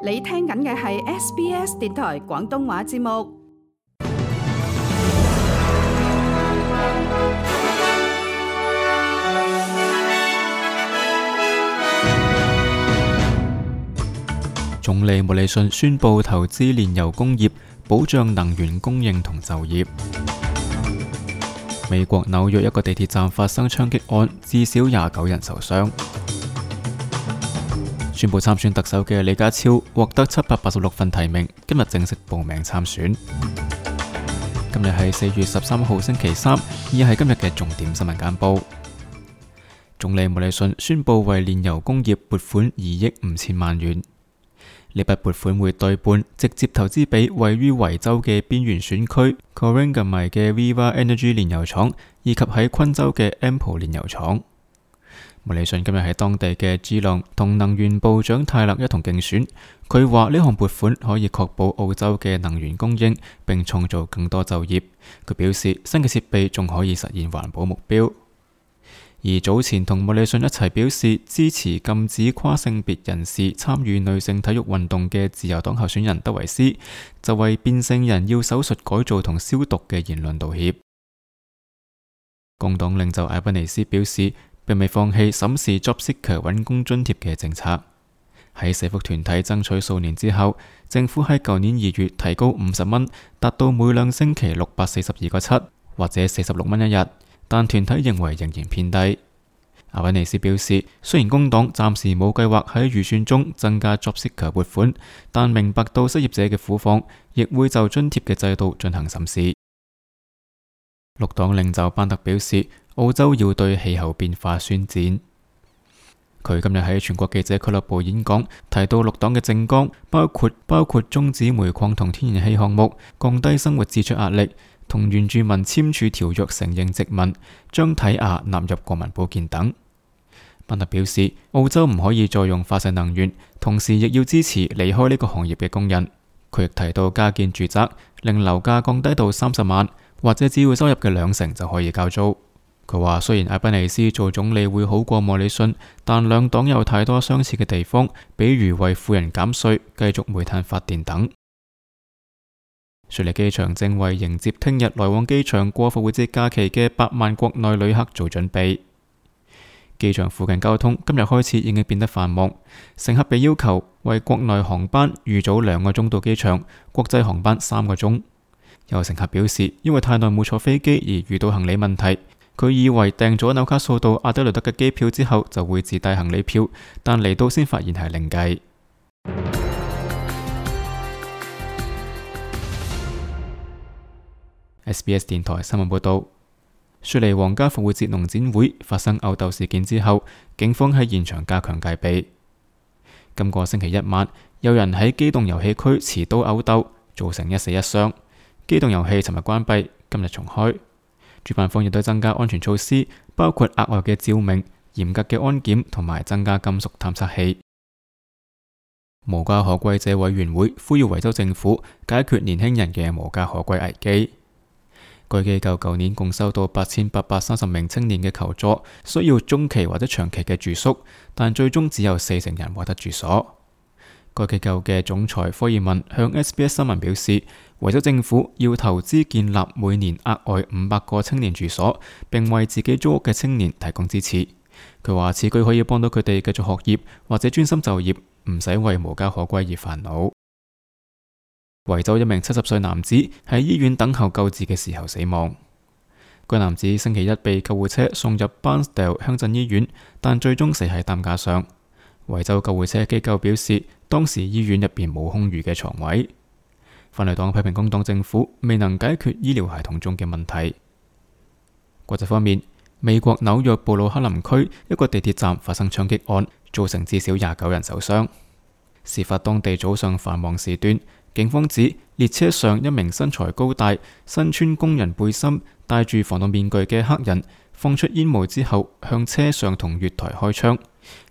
你聽緊嘅係 SBS 電台廣東話節目。總理莫里遜宣布投資煉油工業，保障能源供應同就業。美國紐約一個地鐵站發生槍擊案，至少29人受傷。宣布參選特首嘅李家超獲得786份提名，今日正式報名參選。今日係4月13號星期三，以下係今日嘅重點新聞簡報。總理莫里遜宣布為煉油工業撥款2億5千萬元，呢筆撥款會對半直接投資俾位於維州嘅邊緣選區 Corangamite 嘅 Viva Energy 煉油廠，以及喺昆州嘅 Ampol 煉油廠。莫里遜今日喺當地嘅基隆同能源部長泰勒一同競選，佢話呢項撥款可以確保澳洲嘅能源供應，並創造更多就業。佢表示新嘅設備仲可以實現環保目標。而早前同莫里遜一齊表示支持禁止跨性別人士參與女性體育運動嘅自由黨候選人德維斯，就為變性人要手術改造同消毒嘅言論道歉。工黨領袖艾賓尼斯表示，並未放棄審視 JobSeeker 揾工津貼嘅政策。喺社福團體爭取數年之後，政府喺舊年2月提高50蚊，達到每兩星期642個7，或者46蚊一日，但團體認為仍然偏低。阿維尼斯表示，雖然工黨暫時冇計劃喺預算中增加 JobSeeker 撥款，但明白到失業者嘅苦況，亦會就津貼嘅制度進行審視。綠黨領袖班特表示，澳洲要對氣候變化宣戰。佢今日喺全國記者俱樂部演講，提到綠黨嘅政綱包括終止煤礦同天然氣項目，降低生活支出壓力，同原住民簽署條約承認殖民，將睇牙納入國民保健等。班特表示，澳洲唔可以再用化石能源，同時亦要支持離開呢個行業嘅工人。佢亦提到加建住宅，令樓價降低到30萬，或者只要收入嘅2成就可以交租。佢話雖然艾賓尼斯做總理會好過莫里遜，但兩黨有太多相似嘅地方，比如為富人減稅、繼續煤炭發電等。雪梨機場正為迎接聽日來往機場過復活節假期嘅8萬國內旅客做準備。機場附近交通今日開始已經變得繁忙，乘客被要求為國內航班預早2個鐘到機場，國際航班3個鐘。有乘客表示，因為太耐冇坐飛機而遇到行李問題，佢以為訂咗紐卡素到阿德萊德嘅機票之後就會自帶行李票，但嚟到先發現係另計。SBS 電台新聞報道，雪梨皇家復活節農展會發生毆鬥事件之後，警方喺現場加強戒備。今個星期一晚，有人喺機動遊戲區持刀毆鬥，造成1死1傷。機動遊戲尋日關閉，今日重開。主辦方亦都增加安全措施，包括額外嘅照明、嚴格嘅安檢同埋增加金屬探測器。無家可歸者委員會呼籲維州政府解決年輕人嘅無家可歸危機。該機構舊年共收到8830名青年嘅求助，需要中期或者長期嘅住宿，但最終只有40人獲得住所。該機構嘅總裁科爾文向 SBS 新聞表示，維州政府要投資建立每年額外500個青年住所，並為自己租屋嘅青年提供支持。佢話此舉可以幫到佢哋繼續學業或者專心就業，唔使為無家可歸而煩惱。維州一名70歲男子喺醫院等候救治嘅時候死亡。該男子星期一被救護車送入 Bairnsdale 鄉鎮醫院，但最終死喺擔架上。維州救護車機構表示，當時醫院入邊冇空餘嘅床位。反對黨批評工黨政府未能解決醫療系統中嘅問題。國際方面，美國紐約布魯克林區一個地鐵站發生槍擊案，造成至少29人受傷。事發當地早上繁忙時段，警方指列車上一名身材高大、身穿工人背心、戴住防毒面具嘅黑人放出煙霧之後，向車上同月台開槍。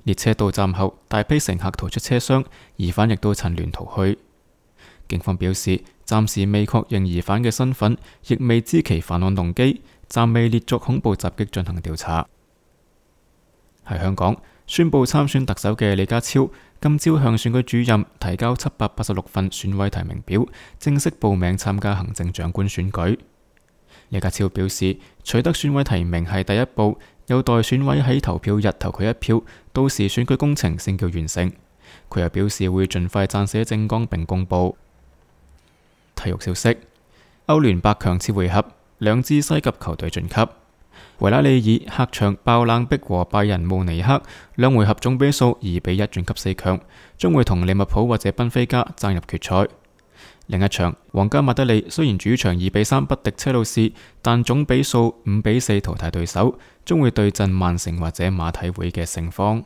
列車到站後，大批乘客逃出車廂，疑犯亦都趁亂逃去。警方表示，暫時未確認疑犯嘅身份，亦未知其犯案動機，暫未列作恐怖襲擊進行調查。喺香港，宣布參選特首嘅李家超今朝向選舉主任提交786份選委提名表，正式報名參加行政長官選舉。李家超表示，取得選委提名係第一步，有待選委喺投票日投佢一票，到時選舉工程先叫完成。佢又表示會盡快撰寫政綱並公佈。體育消息：歐聯8強次回合，兩支西甲球隊晉級。維拉利爾客場爆冷逼和拜仁慕尼黑，兩回合總比數2-1晉級4強，將會同利物浦或者賓菲加爭入決賽。另一場，皇家馬德里雖然主場2-3不敵車路士，但總比數5-4淘汰對手，將會對陣曼城或者馬體會嘅勝方。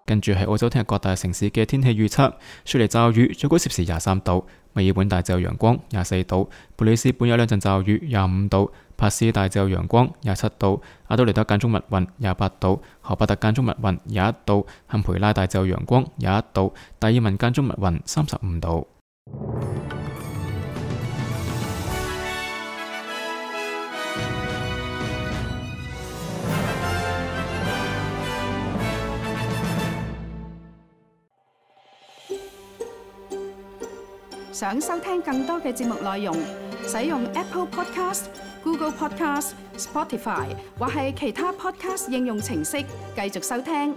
跟住係澳洲聽日各大城市嘅天氣預測：雪梨驟雨，最高攝氏23度；墨爾本大致有陽光，24度；布里斯本有兩陣驟雨，25度；帕斯大致有陽光，27度；阿德雷德間中密雲，28度；荷伯特間中密雲，21度；坎培拉大致有陽光，21度；達爾文間中密雲，35度。想收聽更多嘅節目內容，使用 Apple Podcast、Google Podcast、Spotify 或係其他 Podcast 應用程式繼續收聽。